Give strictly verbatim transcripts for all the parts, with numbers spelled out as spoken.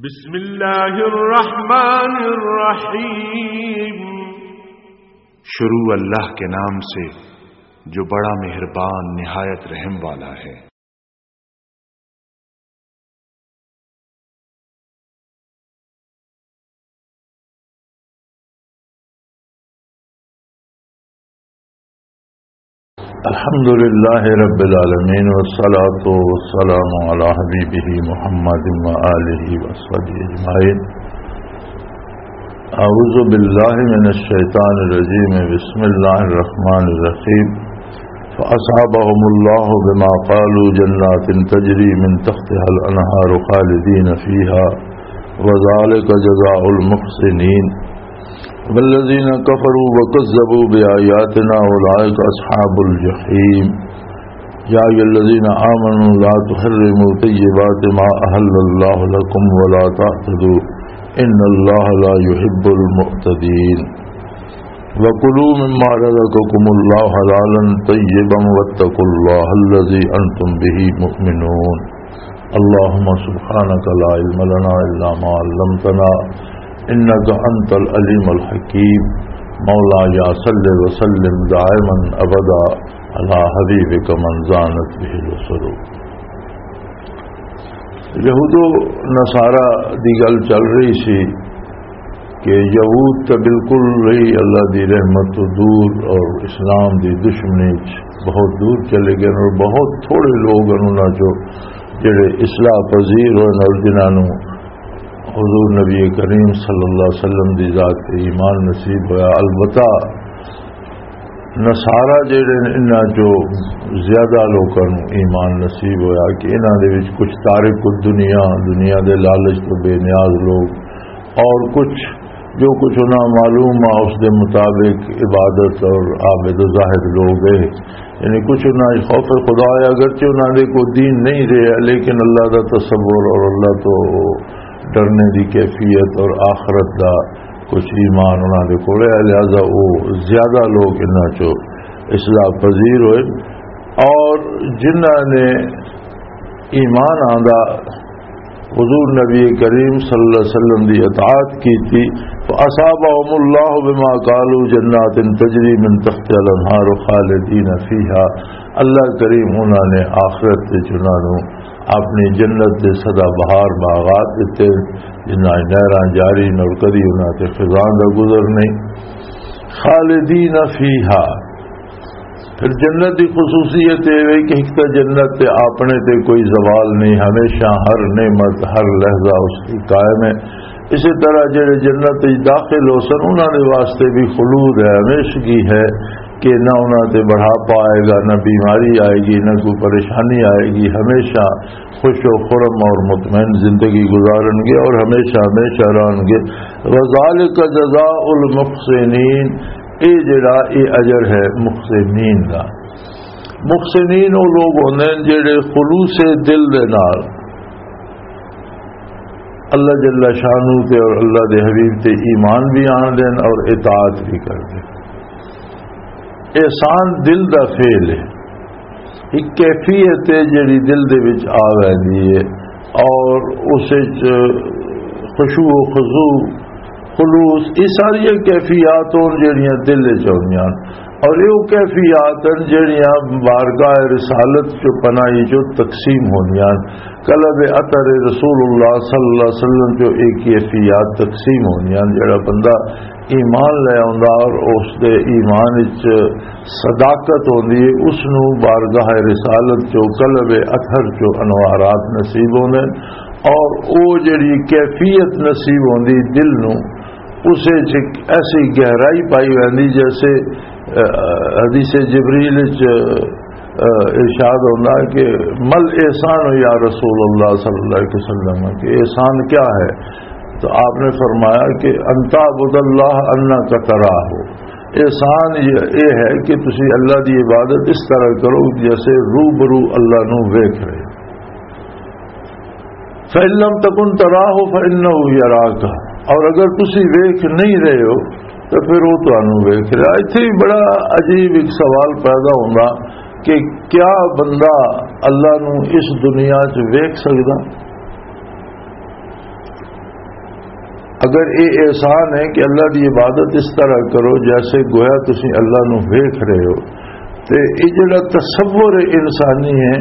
بسم اللہ الرحمن الرحیم۔ شروع اللہ کے نام سے جو بڑا مہربان نہایت رحم والا ہے۔ الحمد لله رب العالمين، والصلاة والسلام على حبيبه محمد وآله وصحبه أجمعين. أعوذ بالله من الشيطان الرجيم. بسم الله الرحمن الرحيم. فأصابهم الله بما قالوا جنات تجري من تحتها الأنهار خالدين فيها وذلك جزاء المحسنين. والذين كفروا وكذبوا بآياتنا أولئك أصحاب الجحيم. يا أيها الذين آمنوا لا تحرموا طيبات ما أحل الله لكم ولا تعتدوا إن الله لا يحب المعتدين. وكلوا مما رزقكم الله حلالا طيبا واتقوا الله الذي أنتم به مؤمنون. اللهم سبحانك لا علم لنا إلا ما علمتنا إنك أنت العليم الحكيم. مولاي صل وسلم دائما أبدا على حبيبك من زانت به العصر. یہود و نصارہ دی گل چل رہی سی کہ یہود تے بالکل ہی اللہ دی رحمت تو دور اور اسلام دی دشمنی چ بہت دور چلے گئے، اور بہت تھوڑے لوگ ہیں انہاں چوں جڑے اصلاح پذیر ہوئے اور جنہاں نوں حضور نبی کریم صلی اللہ علیہ وسلم دی ذات تے ایمان نصیب ہویا۔ البتہ نصارہ جڑے نے، انہاں چوں زیادہ لوکاں نوں ایمان نصیب ہویا کہ انہاں دے وچ کچھ تارک الدنیا، دنیا دے لالچ تو بے نیاز لوگ، اور کچھ جو کچھ انہاں معلوم آ، اس دے مطابق عبادت اور عابد و زاہد لوگ ہیں۔ یعنی کچھ انہاں خوف خدا ہے، اگرچہ انہاں دے کوئی دین نہیں رہا، لیکن اللہ دا تصور اور اللہ تو ڈرنے دی کیفیت اور آخرت دا کچھ ایمان انہاں دے کول ہے، لہذا وہ زیادہ لوگ انہاں چوں اصلاح پذیر ہوئے۔ اور جنہاں نے ایمان آندا حضور نبی کریم صلی اللہ علیہ وسلم دی اطاعت کی تھی، فَأَصَابَهُمُ اللَّهُ بِمَا قَالُوا جَنَّاتٍ تَجْرِي مِنْ تَحْتِهَا الْأَنْهَارُ خَالِدِينَ فِيهَا۔ اللہ کریم انہاں نے آخرت وچ انہاں نوں اپنی جنت دے سدا بہار باغات دتے، جنہاں نہراں جاری نے اور کدی انہاں تے خزاں دا گزر نہیں۔ خالدین فیہا، پھر جنت دی خصوصیت یہ ہے کہ ایک تو جنت تے اپنے تے کوئی زوال نہیں، ہمیشہ ہر نعمت، ہر لحظہ اس کی قائم ہے۔ اسی طرح جڑے جنت وچ داخل ہو سن، انہاں دے واسطے بھی خلود ہے، ہمیشگی ہے کہ نہ انہاں تے بڑھاپا آئے گا، نہ بیماری آئے گی، نہ کوئی پریشانی آئے گی، ہمیشہ خوش و خرم اور مطمئن زندگی گزارن گے اور ہمیشہ ہمیشہ رہن گے۔ وذالک جزاء المحسنین، اے جڑا اے اجر ہے محسنین دا۔ محسنین وہ لوگ ہوندے ہیں جڑے خلوص دل دے نال اللہ جل شانہ تے اور اللہ دے حبیب تے ایمان بھی آن دین اور اطاعت بھی کر دین۔ احسان دل دا فعل ہے، ایک کیفیت ہے جڑی دل دے وچ آ ویندی ہے اور اس وچ خشوع و خضوع، خلوص، یہ ساری کیفیات ہون جڑیاں دل وچ ہوندیاں اور یہ کیفیات ہیں جڑیاں بارگاہ رسالت چ پناہی چ تقسیم ہوندیاں۔ قلب اطہر رسول اللہ صلی اللہ علیہ وسلم چ ایک کیفیات تقسیم ہوندیاں۔ جڑا بندہ ایمان لے آندا اور اس دے ایمان وچ صداقت ہوندی ہے، اس نو بارگاہ رسالت چو، قلب اطہر چو انوارات نصیب ہوندے اور او جڑی کیفیت نصیب ہوندی دل نو، اس وچ ایک ایسی گہرائی پائی ویندی جیسے، آ، حدیث جبریل وچ، آ، ارشاد ہوندا کہ مل احسان یا رسول اللہ صلی اللہ علیہ وسلم، کہ احسان کیا ہے؟ تو آپ نے فرمایا کہ ان تعبد اللہ انک تراہ، احسان یہ، یہ ہے کہ تسی اللہ دی عبادت اس طرح کرو جیسے روبرو اللہ نو ویکھ رہے۔ فَإِن لَّمْ تَكُن تَرَاهُ فَإِنَّهُ يَرَاكَ، اور اگر تسی ویکھ نہیں رہے ہو تو پھر وہ تانوں ویکھ رہا۔ اتھے ہی بڑا عجیب ایک سوال پیدا ہوندا کہ کیا بندہ اللہ نو اس دنیا چ ویکھ سکدا؟ اگر یہ احسان ہے کہ اللہ دی عبادت اس طرح کرو جیسے گویا تسی اللہ نو ویکھ رہے ہو، تے یہ جڑا تصور انسانی ہے،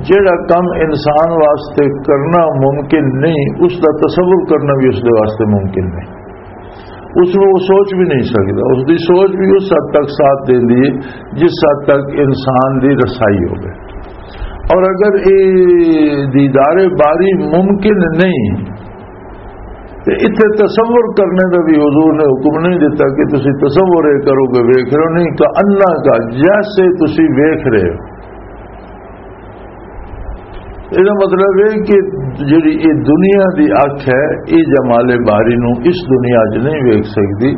جڑا کم انسان واسطے کرنا ممکن نہیں، اس دا تصور کرنا بھی اس دے واسطے ممکن نہیں۔ اس نو وہ سوچ بھی نہیں سکتا، اس دی سوچ بھی اس حد تک ساتھ دیندی ہے جس حد تک انسان دی رسائی ہوگی۔ اور اگر یہ دیدار باری ممکن نہیں، تے اتھے تصور کرنے دا بھی حضور نے حکم نہیں دیتا کہ تسی تصور یہ کرو کہ ویکھ رہے ہو، نہیں، کہ انا کا جیسے تسی ویکھ رہے ہو۔ یہ مطلب ہے کہ جڑی یہ دنیا دی اکھ ہے، یہ جمال باری نو اس دنیا چ نہیں ویکھ سکدی،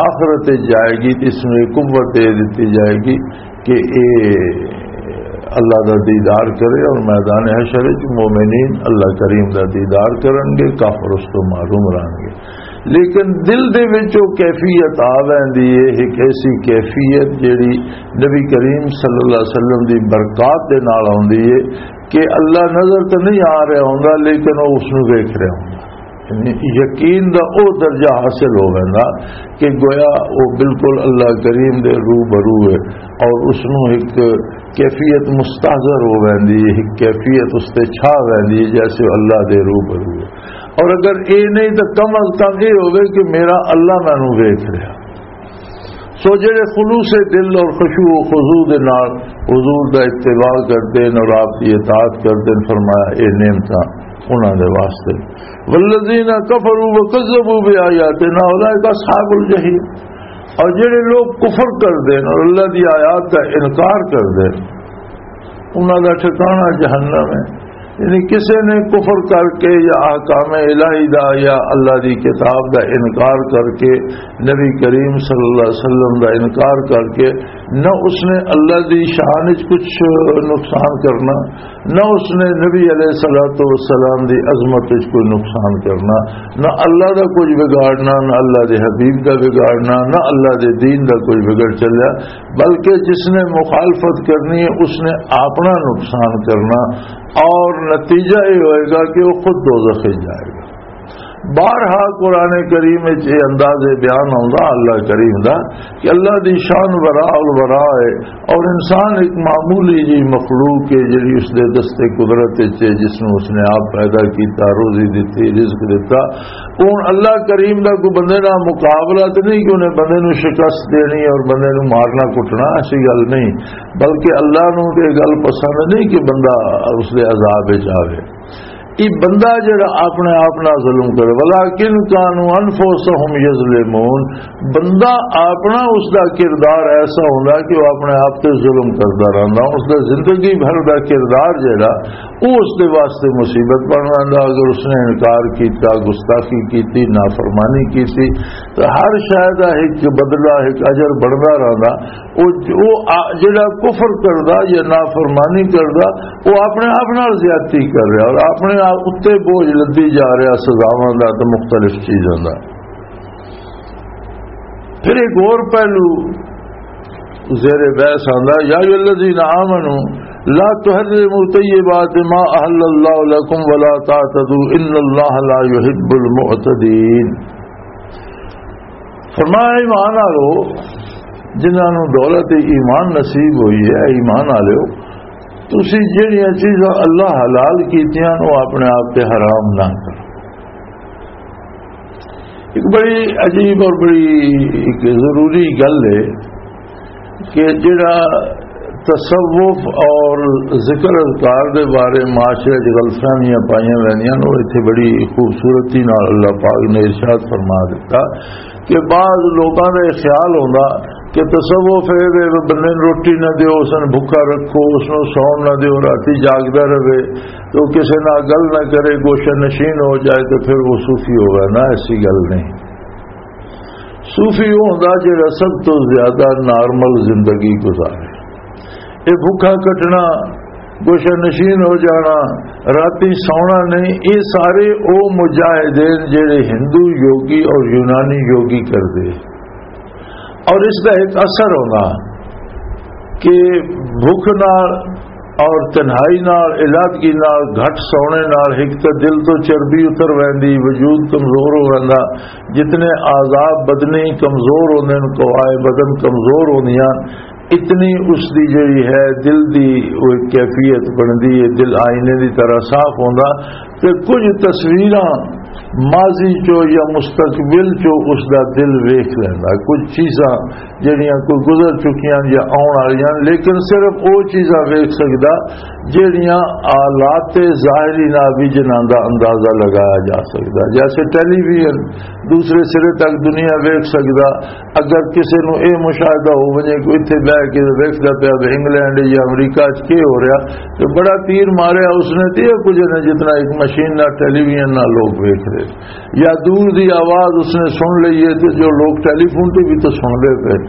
آخرت وچ جائے گی تے اس نو یہ قوت دے دتی جائے گی کہ اے اللہ دا دیدار کرے، اور میدان حشر وچ مومنین اللہ کریم دا دیدار کرن گے، کافر اس تو محروم رہن گے۔ لیکن دل دے وچ وہ کیفیت آ ویندی ہے، ایک ایسی کیفیت جیڑی نبی کریم صلی اللہ علیہ وسلم دی برکات دے نال آوندی ہے کہ اللہ نظر تے نہیں آ رہا ہوندا، لیکن وہ اس نو ویکھ رہا ہوندا۔ یعنی یقین دا او درجہ حاصل ہو ویندا کہ گویا او بالکل اللہ کریم دے روبرو ہے، اور اس نو ایک کیفیت مستحضر ہو ویندی ہے، ایک کیفیت اس تے چھا ویندی ہے جیسے اللہ دے روبرو ہے۔ اور اگر اے نہیں تو کم از کم اے ہوے کہ میرا اللہ مینوں ویکھ رہا۔ سو جڑے خلوص دل اور خشوع و خضوع دے نال حضور دا اتباع کردے نے اور آپ دی اطاعت کردے نے، فرمایا، اے نعمتاں انہاں دے واسطے۔ والذین کفروا وکذبوا بآیاتنا اولئک اصحاب الجحیم۔ اور جڑے لوگ کفر کردے نے اور اللہ دی آیات دا انکار کردے نے، انہاں دا ٹھکانہ جہنم ہے۔ یعنی کسے نے کفر کر کے یا احکام الہی دا یا اللہ دی کتاب دا انکار کر کے، نبی کریم صلی اللہ علیہ وسلم دا انکار کر کے، نہ اس نے اللہ دی شان وچ کچھ نقصان کرنا، نہ اس نے نبی علیہ الصلوۃ والسلام دی عظمت وچ کوئی نقصان کرنا، نہ اللہ دا کچھ بگاڑنا، نہ اللہ دے حبیب دا بگاڑنا، نہ اللہ دے دین دا کوئی بگڑ چلیا، بلکہ جس نے مخالفت کرنی ہے اس نے اپنا نقصان کرنا، اور نتیجہ یہ ہوئے گا کہ وہ خود دوزخ میں جائے گا۔ بارہا قرآن کریم وچ یہ انداز بیان آوندا اللہ کریم دا کہ اللہ دی شان وراء الوراء ہے، اور انسان ایک معمولی جی مخلوق ہے جڑی اس دے دستے قدرت وچ ہے، جس نوں اس نے آپ پیدا کیتا، روزی دتی، رزق دتا۔ ہن اللہ کریم دا کوئی بندے نال مقابلہ تے نہیں کہ انہیں بندے نوں شکست دینی اور بندے نوں مارنا کٹنا، ایسی گل نہیں، بلکہ اللہ نوں تے یہ گل پسند نہیں کہ بندہ اس دے عذاب وچ آوے۔ یہ بندہ جڑا اپنے آپ نال ظلم کرے، وَلَٰكِن كَانُوا أَنفُسَهُمْ يَظْلِمُونَ، بندہ اپنا، اس دا کردار ایسا ہوندا کہ وہ اپنے آپ تے ظلم کردا رہندا۔ اس دا زندگی بھر دا کردار جڑا، وہ اس دے واسطے مصیبت بن رہندا۔ اگر اس نے انکار کیتا، گستاخی کیتی، نافرمانی کیتی، تو ہر شے دا ایک بدلہ، ایک اجر بندا رہندا۔ وہ، وہ آ-، جڑا کفر کردا یا نافرمانی کردا، وہ اپنے آپ نال زیادتی کر رہا اور اپنے آپ اُتے بوجھ لدی جا رہا سزاواں دا تے مختلف چیزاں دا۔ پھر ایک اور پہلو زیر بحث آندا، یا ایھا الذین آمنوا لا تحرموا طیبات ما احل اللہ لکم ولا تعتدوا ان اللہ لا یحب المعتدین۔ فرمایا، ایمان آلو، جنہاں نوں دولت ایمان نصیب ہوئی ہے، ایمان آلو، تسی جڑیاں چیزاں اللہ حلال کیتیاں، وہ اپنے آپ تے حرام نہ کرو۔ ایک بڑی عجیب اور بڑی ایک ضروری گل ہے کہ جڑا تصوف اور ذکر اذکار دے بارے معاشرے وچ غلط فہمیاں پائیاں ویندیاں نے، وہ اتھے بڑی خوبصورتی نال اللہ پاک نے ارشاد فرما دیتا کہ بعض لوکاں دا یہ خیال ہوندا کہ تصوف اے وے بندے نوں روٹی نہ دیو، اس نوں بھکا رکھو، اس نوں سون نہ دیو، راتی جاگدا رہے، تو کسے نال گل نہ کرے، گوشہ نشین ہو جائے، تو پھر وہ صوفی ہو گیا۔ نہ، ایسی گل نہیں۔ صوفی وہ ہوندا جڑا سب تو زیادہ نارمل زندگی گزارے۔ یہ بھوکا کٹنا، گوشہ نشین ہو جانا، راتی سونا نہیں، یہ سارے او مجاہدین جڑے ہندو یوگی اور یونانی یوگی کردے۔ اور اس دا ایک اثر ہونا کہ بھوک نال اور تنہائی نال، علادگی نال، گھٹ سونے نال ہک تے دل تو چربی اتر ویندی، وجود کمزور ہو ویندا۔ جتنے اعضاء بدنی کمزور ہوندے نے، قوائے بدن کمزور ہوندیاں، اتنی اس دی جڑی ہے دل دی وہ ایک کیفیت بندی ہے، دل آئینے دی طرح صاف ہوندا۔ تے کچھ تصویراں ماضی چو یا مستقبل چو اس دا دل ویکھ لیندا، کچھ چیزاں جڑیاں کوئی گزر چکیاں یا آن والیاں، لیکن صرف او چیزاں ویکھ سکدا جڑیاں آلات ظاہری نال بھی جنہاں دا اندازہ لگایا جا سکدا، جیسے ٹیلی ویژن دوسرے سرے تک دنیا ویکھ سکدا۔ اگر کسی نو اے مشاہدہ ہو ونجے کہ اتھے بہ کے ویکھدا پیا وے انگلینڈ یا امریکہ چ کی ہو رہا، تے بڑا تیر ماریا اس نے، تے یہ کچھ نہیں جتنا ایک مشین نال، ٹیلی ویژن نال لوگ ویکھ رہے، یا دور دی آواز اس نے سن لئی ہے، تے جو لوگ ٹیلی فون تے بھی تو سن دے پے۔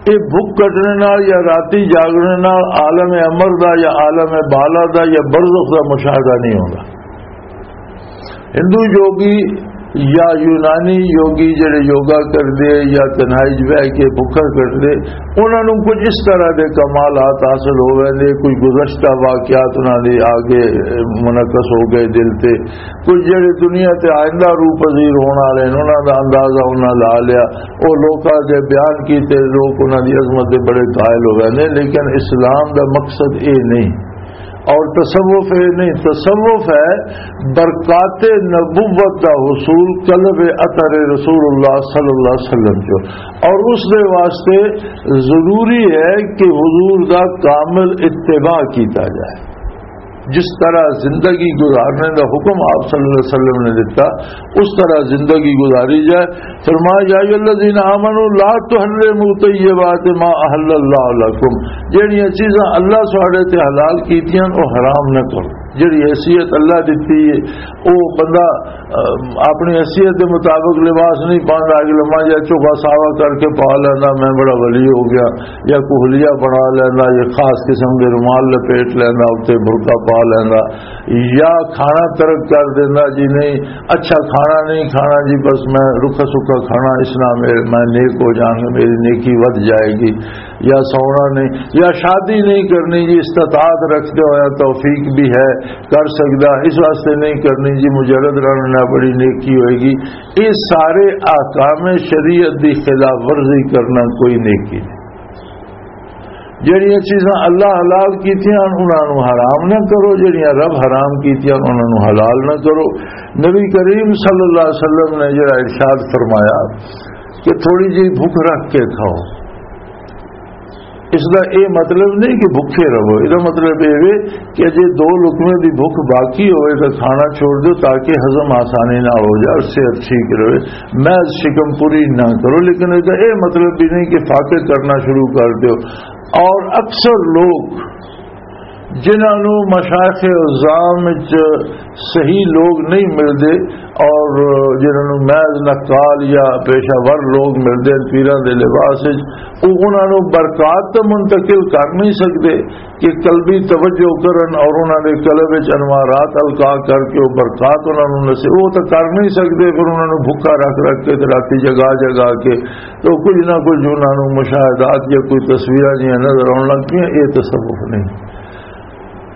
یہ بھوک کٹنے نال یا راتی جاگنے نال عالم امر دا یا عالم بالا دا یا برزخ دا مشاہدہ نہیں ہوندا۔ ہندو یوگی یا یونانی یوگی جڑے یوگا کردے یا تنہائی چ بہ کے بھوکا کٹدے، انہاں نوں کچھ اس طرح دے کمالات حاصل ہو ویندے، کوئی گزشتہ واقعات انہاں دے آگے منعکس ہو گئے دل تے، کچھ جڑے دنیا تے آئندہ روح پذیر ہون والے نے، انہاں دا اندازہ انہاں لا لیا۔ او لوکاں دے بیان کیتے، لوک انہاں دی عظمت دے بڑے قائل ہو ویندے، لیکن اسلام دا مقصد اے نہیں۔ اور تصوف یہ نہیں، تصوف ہے برکات نبوت دا حصول، قلب اطہر رسول اللہ صلی اللہ علیہ وسلم جو، اور اس دے واسطے ضروری ہے کہ حضور دا کامل اتباع کیتا جائے۔ جس طرح زندگی گزارنے دا حکم آپ صلی اللہ علیہ وسلم نے دیتا، اس طرح زندگی گزاری جائے۔ فرمایا، یا ایھا الذین آمنوا لا تحرموا طیبات ما احل اللہ لکم، جہڑیاں چیزاں اللہ ساڈے تے حلال کیتیاں، او حرام نہ کرو۔ جہڑی حیثیت اللہ دتی ہے، او بندہ، اہ، اپنی حیثیت دے مطابق لباس نہیں پاندا، اگے لمبا جہا چوکا ساوا کر کے پا لیندا، میں بڑا ولی ہو گیا، یا کوہلیا بنا لیندا، یا خاص قسم دے رومال لپیٹ لیندا، اتنے برقع پا لیندا، یا کھانا ترک کر دیندا، جی نہیں، اچھا کھانا نہیں کھانا جی، بس میں رکھا سکھا کھانا، اس نال میرے، میں نیک ہو جاؤں گا، میری نیکی ودھ جائے گی۔ یا سونا نہیں، یا شادی نہیں کرنی جی، استطاعت رکھتے ہوئے توفیق بھی ہے، کر سکدا، اس واسطے نہیں کرنی جی، مجرد رہنا نہ بڑی نیکی ہوئے گی۔ یہ سارے احکام شریعت دی خلاف ورزی کرنا کوئی نیکی نہیں۔ جڑیاں چیزاں اللہ حلال کیتیاں، انہاں نوں حرام نہ کرو، جڑیاں رب حرام کیتیاں، انہاں نوں حلال نہ کرو۔ نبی کریم صلی اللہ علیہ وسلم نے جڑا ارشاد فرمایا کہ تھوڑی جی بھوک رکھ کے کھاؤ، اس دا اے مطلب نہیں کہ بھوکے رہو، اس دا مطلب اے وے کہ جے دو لقمے دی بھوک باقی ہوئے تو کھانا چھوڑ دو تاکہ ہضم آسانی نال ہو جائے اور صحت ٹھیک رہے۔ محض شکم پوری نہ کرو، لیکن اس دا اے مطلب بھی نہیں کہ فاقے کرنا شروع کر دو۔ اور اکثر لوگ جنہاں نوں مشائخ عظام وچ صحیح لوگ نہیں ملدے اور جنہاں نوں محض نقال یا پیشہ ور لوگ ملدے ہیں پیراں دے لباس وچ، او انہاں نوں برکات تے منتقل کر نہیں سکدے کہ قلبی توجہ کرن اور انہاں دے قلب وچ انوارات القا کر کے او برکات انہاں نوں نصیب، او تے کر نہیں سکدے۔ پھر انہاں نوں بھکا رکھ رکھ کے تے راتی جگا جگا کے تو کچھ نہ کچھ انہاں نوں مشاہدات یا کوئی تصویراں جیاں نظر آن لگ پیاں، اے تصوف نہیں۔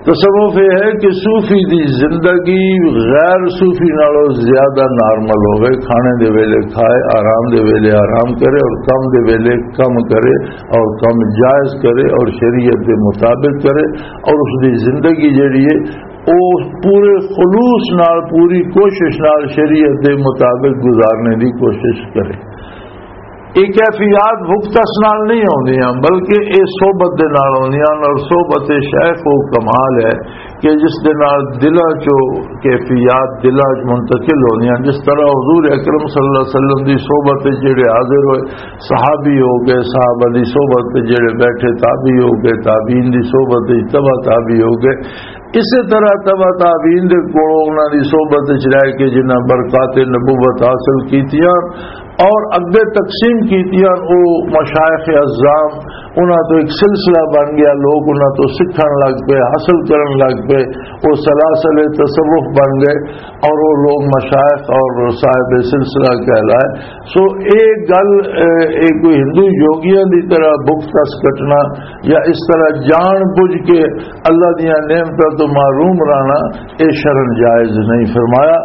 تصوف یہ ہے کہ صوفی دی زندگی غیر صوفی نالوں زیادہ نارمل ہوئے، کھانے دے ویلے کھائے، آرام دے ویلے آرام کرے اور کم دے ویلے کم کرے اور کم جائز کرے اور شریعت دے مطابق کرے اور اس دی زندگی جڑی ہے او پورے خلوص نال، پوری کوشش نال شریعت دے مطابق گزارنے دی کوشش کرے۔ یہ کیفیات بھگتس نال نہیں ہوندیاں، بلکہ یہ صحبت دے نال ہوندیاں، اور صحبت شیخ وہ کمال ہے کہ جس دے نال دلاں چوں کیفیات دلاں چ منتقل ہوندیاں۔ جس طرح حضور اکرم صلی اللہ علیہ وسلم دی صحبت وچ جڑے حاضر ہوئے، صحابی ہو گئے، صحابہ دی صحبت وچ جڑے بیٹھے، تابعی ہو گئے، تابعین دی صحبت وچ تبع تابعی ہو گئے، اسی طرح تبع تابعین دے کولوں انہاں دی صحبت وچ رہ کے جنہاں برکات نبوت حاصل کیتیاں، اور اگے تقسیم کیتیاں، او مشائخ عظام، انہاں تو ایک سلسلہ بن گیا، لوگ انہاں تو سکھن لگ پے، حاصل کرن لگ پے، او سلاسل تصوف بن گئے اور وہ لوگ مشائخ اور صاحب سلسلہ کہلائے۔ سو ایک گل، اے، اے کوئی ہندو یوگیاں دی طرح بک تس کٹنا یا اس طرح جان بوجھ کے اللہ دیاں نعمتاں تو محروم رہنا، اے شرن جائز نہیں۔ فرمایا،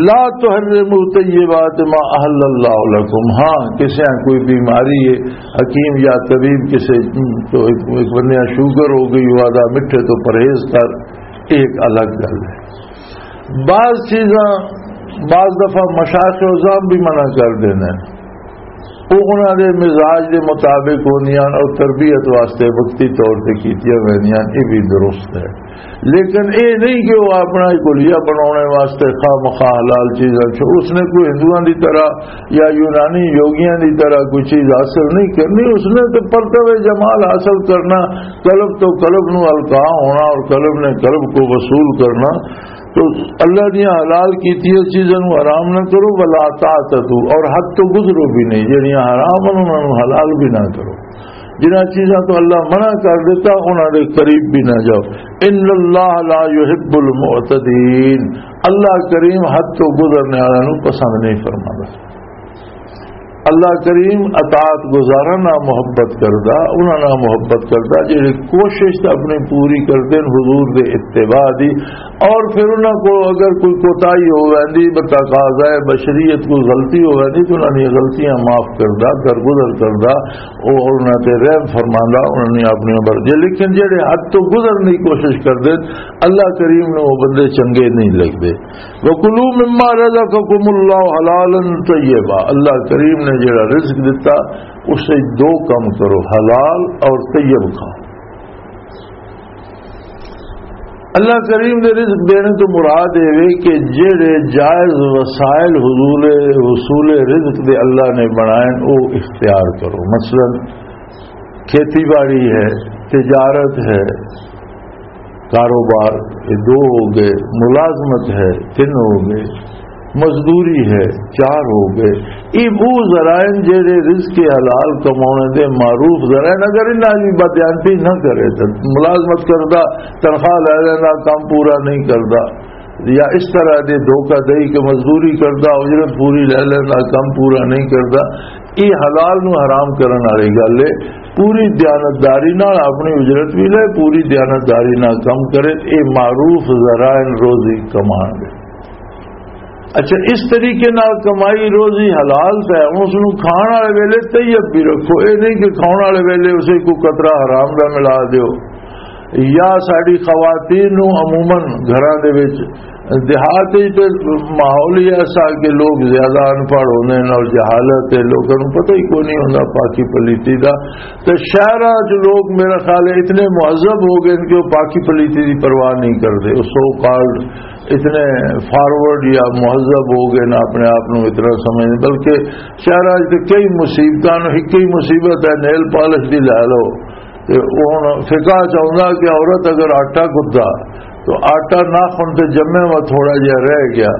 لا تحرموا طیبات ما احل اللہ لکم۔ ہاں، کسے کوئی بیماری ہے، حکیم یا طبیب کسے تو ایک، ایک بندے شوگر ہو گئی، وہ آدھا مٹھے تو پرہیز کر، ایک الگ گل ہے۔ بعض چیزاں بعض دفعہ مشائخ عظام بھی منع کر دیندے نے، وہ انہاں دے مزاج دے مطابق ہوندیاں اور تربیت واسطے وقتی طور تے کیتیاں ویندیاں، یہ بھی درست ہے۔ لیکن اے نہیں کہ وہ اپنا ایک حلیہ بنانے واسطے خواہ مخواہ حلال چیزاں چھو-، اس نے کوئی ہندوؤں دی طرح یا یونانی یوگیاں دی طرح کوئی چیز حاصل نہیں کرنی۔ اس نے تو پرتو جمال حاصل کرنا، قلب تو قلب نو القا ہونا اور قلب نے قلب کو وصول کرنا۔ تو اللہ دیاں حلال کیتی چیزاں نو حرام نہ کرو، ولا تعتدوا، اور حد تو گزرو بھی نہیں، جڑیاں حرام ہیں انہاں نو حلال بھی نہ کرو۔ جنہاں چیزاں تو اللہ منع کر دیتا، انہاں دے قریب بھی نہ جاؤ۔ ان اللہ لا يحب المعتدين، اللہ کریم حد تو گزرنے والوں نو پسند نہیں فرماتا۔ اللہ کریم اطاعت گزاراں نال محبت کردا، انہاں نال محبت کردا جڑے کوشش تے اپنی پوری کردے نے حضور دے اتباع دی، اور پھر انہاں کو اگر کوئی کوتاہی ہو ویندی، بتقاضائے بشریت کوئی غلطی ہو ویندی، تو انہاں دی غلطیاں معاف کردا، درگزر کردا، او انہاں تے رحم فرماندا، انہاں نے اپنی عمر دے۔ لیکن جڑے حد تو گزرنے کی کوشش کردے، اللہ کریم نو وہ بندے چنگے نہیں لگدے۔ وَكُلُوا مِمَّا رَزَقَكُمُ اللَّهُ حَلَالًا طَيِّبًا، اللہ کریم نے جڑا رزق دتا، اس سے دو کام کرو، حلال اور طیب کھاؤ۔ اللہ کریم دے رزق دینے تو مراد یہ وے کہ جڑے جائز وسائل حضول حصول رزق دے اللہ نے بنائے، وہ اختیار کرو۔ مثلاً کھیتی باڑی ہے، تجارت ہے، کاروبار، یہ دو ہو گئے، ملازمت ہے، تین ہو گئے، مزدوری ہے، چار ہو گئے۔ یہ وہ ذرائع جڑے رزق حلال کمانے دے معروف ذرائع، اگر انہاں دی بدیانتی نہ کرے تو ملازمت کردا، تنخواہ لے لینا، کام پورا نہیں کردا، یا اس طرح دے دھوکہ دہی کے مزدوری کردا، اجرت پوری لے لینا، کام پورا نہیں کردا، یہ حلال نو حرام کرن والی گل ہے۔ پوری دیانتداری نال اپنی اجرت بھی لے، پوری دیانتداری نال کم کرے، یہ معروف ذرائع روزی کمان دے۔ اچھا، اس طریقے نال کمائی روزی حلال تے ہے، اس نو کھان والے ویلے طیب بھی رکھو۔ یہ نہیں کہ کھان والے ویلے اسے کوئی قطرہ حرام دا ملا دیو۔ یا ساڈی خواتین نو عموماً گھراں دے وچ، دیہات وچ تے ماحول ہی ایسا کہ لوگ زیادہ ان پڑھ ہوندے نے اور جہالت ہے، لوکاں نوں پتہ ہی کوئی نہیں ہوندا پاکی پلیتی دا۔ تے شہراں وچ لوگ میرا خیال ہے اتنے مہذب ہو گئے کہ وہ پاکی پلیتی دی پرواہ نہیں کردے، وہ سو کالڈ اتنے فارورڈ یا مہذب ہو گئے نا، اپنے آپ نوں اتنا سمجھنے، بلکہ شہراں وچ تے کئی مصیبتاں نوں، ایک ہی مصیبت ہے نیل پالش دی، لے لو۔ تے ہن فقہ چاہندا کہ عورت اگر آٹا گدا تو آٹا ناخن تے جمے وا تھوڑا جہا رہ گیا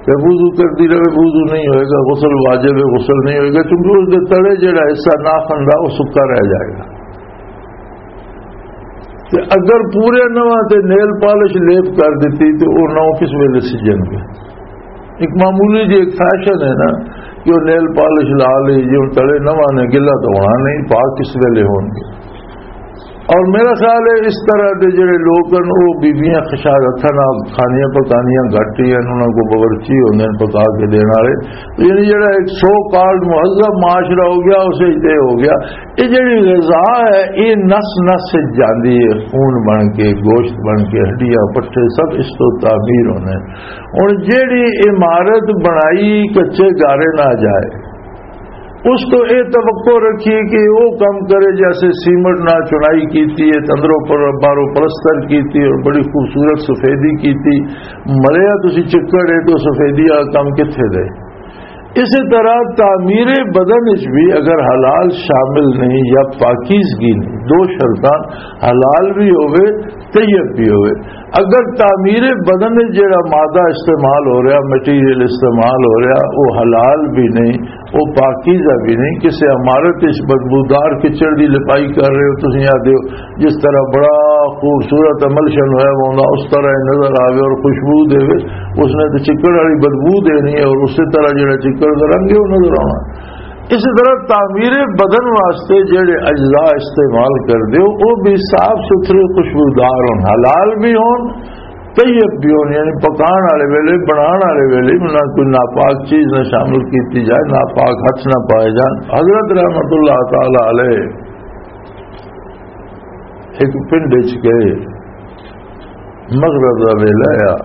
تے وضو کرتی رہے، وضو نہیں ہوئے گا، غسل واجب ہے، غسل نہیں ہوئے گا، کیونکہ اس دے تلے جڑا حصہ ناخن دا وہ سکا رہ جائے گا۔ تے اگر پورے نواں تے نیل پالش لیپ کر دتی تے وہ نو کس ویلے سجن گے؟ ایک معمولی جی ایک فیشن ہے نا کہ وہ نیل پالش لا لی جی، ہن تلے نواں نے، گلا تو ہونا نہیں، پاک کس ویلے ہون گے؟ اور میرا خیال ہے اس طرح دے جڑے لوگ ہیں، وہ بیبیاں خشارتھاں نال کھانیاں پکانیاں گھٹ ہی ہیں، انہاں کو باورچی ہوندے نے پکا کے دین والے۔ یعنی جڑا ایک سو کالڈ مہذب معاشرہ ہو گیا، اسے تے ہو گیا۔ یہ جڑی غذا ہے، یہ نس نس سے جاندی ہے، خون بن کے، گوشت بن کے، ہڈیاں پٹھے سب اس تو تعمیر ہونے۔ ہن جڑی عمارت بنائی کچے گارے نہ جائے، اس تو اے توقع رکھیے کہ وہ کام کرے جیسے سیمنٹ نہ چنائی کیتی ہے، اندروں پر باہروں پلستر کیتی اور بڑی خوبصورت سفیدی کیتی، مریا تسی چکڑ ہے تو سفیدی والا کام کتھے دے؟ اسی طرح تعمیر بدن وچ بھی اگر حلال شامل نہیں یا پاکیزگی نہیں، دو شرطاں، حلال بھی ہوئے، طیب بھی ہوئے۔ اگر تعمیر بدن وچ جڑا مادہ استعمال ہو رہا، مٹیریل استعمال ہو رہا، وہ حلال بھی نہیں، وہ پاکیزہ بھی نہیں۔ کسی عمارت اس بدبودار کچڑ دی لپائی کر رہے ہو، تسیں آدھے ہو جس طرح بڑا خوبصورت عمل شن ہویا ہوندا، اس طرح ہی نظر آوے اور خوشبو دے۔ اس نے تو چکڑ والی بدبو دینی ہے اور اسی طرح جڑا چکڑ دا رنگ ہے، وہ نظر آنا۔ اسی طرح تعمیر بدن واسطے جڑے اجزاء استعمال کر دے ہو، وہ بھی صاف ستھرے، خوشبودار ہون، حلال بھی ہون، طیب بھی ہون، یعنی پکان والے ویلے، بنان والے ویلے نہ کوئی ناپاک چیز نہ شامل کیتی جائے، ناپاک ہاتھ نہ پائے جان۔ حضرت رحمت اللہ تعالی علیہ ایک پنڈ وچ گئے، مغرب دا ویلا آ،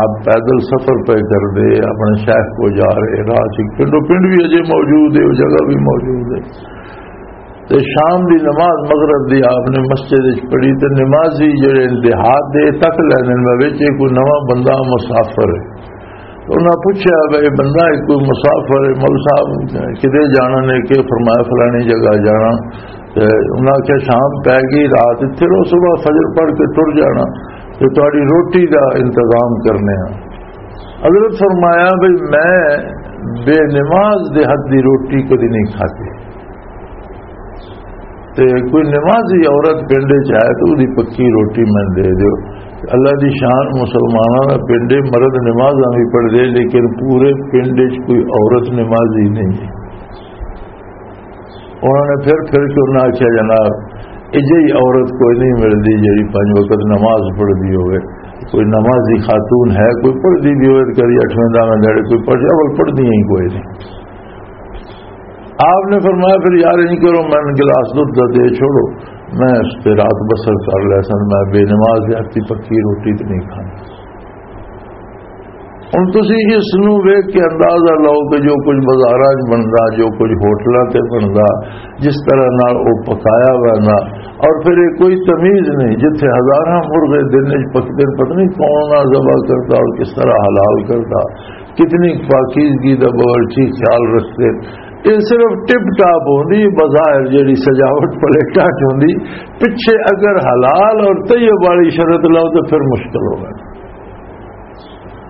آپ پیدل سفر پہ کر دے، اپنے شیخ کو جا رہے، راہ چ پنڈو پنڈ بھی اجے موجود ہے، وہ جگہ بھی موجود ہے۔ تے شام دی نماز مغرب دی آپ نے مسجد وچ پڑھی، تے نمازی جڑے دیہات دے تک لیندے نے وچ، یہ کوئی نواں بندہ مسافر ہے۔ تو انہاں پوچھا، "بھائی، بندہ ایک کوئی مسافر ہے، مول صاحب کدے جانا نے؟" کہ فرمایا، "فلانی جگہ جانا۔" تے انہاں آکھیا، "شام پے گئی، رات اتھے رہو، صبح فجر پڑھ کے ٹر جانا، تے تہاڈی روٹی دا انتظام کرنے ہاں۔" حضرت فرمایا، "بھائی، میں بے نماز دے ہاتھ دی روٹی کدی نہیں کھاتی۔" تے کوئی نمازی عورت پنڈ وچ آئے تو اودی پکی روٹی میں دے دیو۔ اللہ دی شان، مسلماناں دا پنڈ ہے، مرد نمازاں بھی پڑھ دے، لیکن پورے پنڈ وچ کوئی عورت نمازی نہیں ہے۔ انہوں نے پھر پھر کے انہاں آکھیا، "جناب، اجہی عورت کوئی نہیں ملدی جڑی پنج وقت نماز پڑھدی ہوئے۔" کوئی نمازی خاتون ہے، کوئی پڑھدی بھی ہوئے تو کدی اٹھویں داویں دہڑے کوئی پڑھ، اول پڑھدی ہی کوئی نہیں۔ آپ نے فرمایا، "پھر یار، انج کرو، میں گلاس دودھ دا دے چھوڑو، میں اس تے رات بسر کر لیا سن، میں بے نماز دے ہاتھی پکی روٹی تے نہیں کھانا۔" ہن تسی اس نوں ویکھ کے اندازہ لاؤ کہ جو کچھ بازاراں 'چ بندا، جو کچھ ہوٹلاں تے بندا، جس طرح نال او پکایا ہوا نا، اور پھر یہ کوئی تمیز نہیں، جتھے ہزاراں مرغے دن وچ پکدے، پتہ نہیں کون نہ ذبح کردا اور کس طرح حلال کردا، کتنی پاکیزگی دا باورچی خیال رکھدے۔ یہ صرف ٹپ ٹاپ ہوندی، بظاہر جڑی سجاوٹ پلیٹاں 'چ ہوندی، پچھے اگر حلال اور طیب والی شرط لاؤ تو پھر مشکل ہوگا۔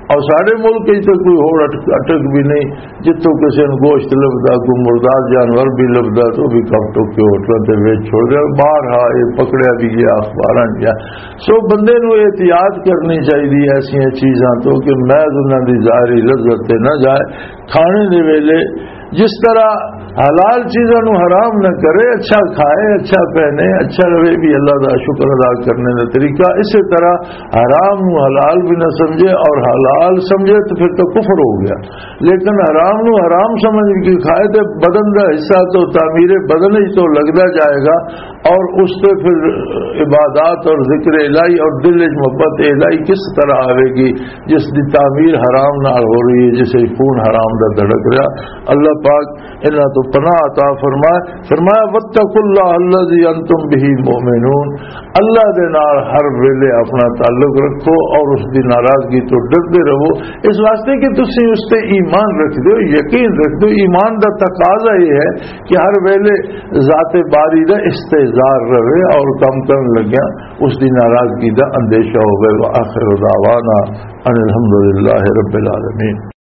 اور ساڈے ملک وچ تے کوئی ہوڑ اٹک، اٹک بھی نہیں، جتھوں کسے نوں گوشت لبدا، کوئی مردار جانور بھی لبدا، تو بھی کپ ٹوک کے ہوٹلاں تے ویچ چھوڑ دے۔ اور باہر ہا، یہ پکڑیا بھی گیا، اخباراں 'چ گیا۔ سو بندے نوں احتیاط کرنی چاہیے، ایسیاں چیزاں تو کہ محض انہاں دی ظاہری لذت تے نہ جائے۔ کھانے دے ویلے جس طرح حلال چیزاں نوں حرام نہ کرے، اچھا کھائے، اچھا پہنے، اچھا رہے، بھی اللہ دا شکر ادا کرنے دا طریقہ۔ اسی طرح حرام نوں حلال بھی نہ سمجھے، اور حلال سمجھے تو پھر تو کفر ہو گیا۔ لیکن حرام نوں حرام سمجھ کے کھائے تو بدن دا حصہ تو تعمیر بدن ہی تو لگدا جائے گا، اور اس پہ پھر عبادات اور ذکر الہی اور دل وچ محبت الہی کس طرح آوے گی، جس دی تعمیر حرام نال ہو رہی ہے، جسے خون حرام دا دھڑک رہا۔ اللہ پاک انہاں تو پناہ عطا فرمائے۔ فرمایا، "واتقوا اللہ الذی انتم بہ مؤمنون۔" اللہ دے نال ہر ویلے اپنا تعلق رکھو اور اس دی ناراضگی تو ڈردے رہو، اس واسطے کہ تسی اس تے ایمان رکھ دو، یقین رکھ دو۔ ایمان دا تقاضا یہ ہے کہ ہر ویلے ذات باری دا استحضار رہے اور کم کرن لگیا اس دی ناراضگی دا اندیشہ ہوئے۔ وآخر دعوانا ان الحمدللہ رب العالمین۔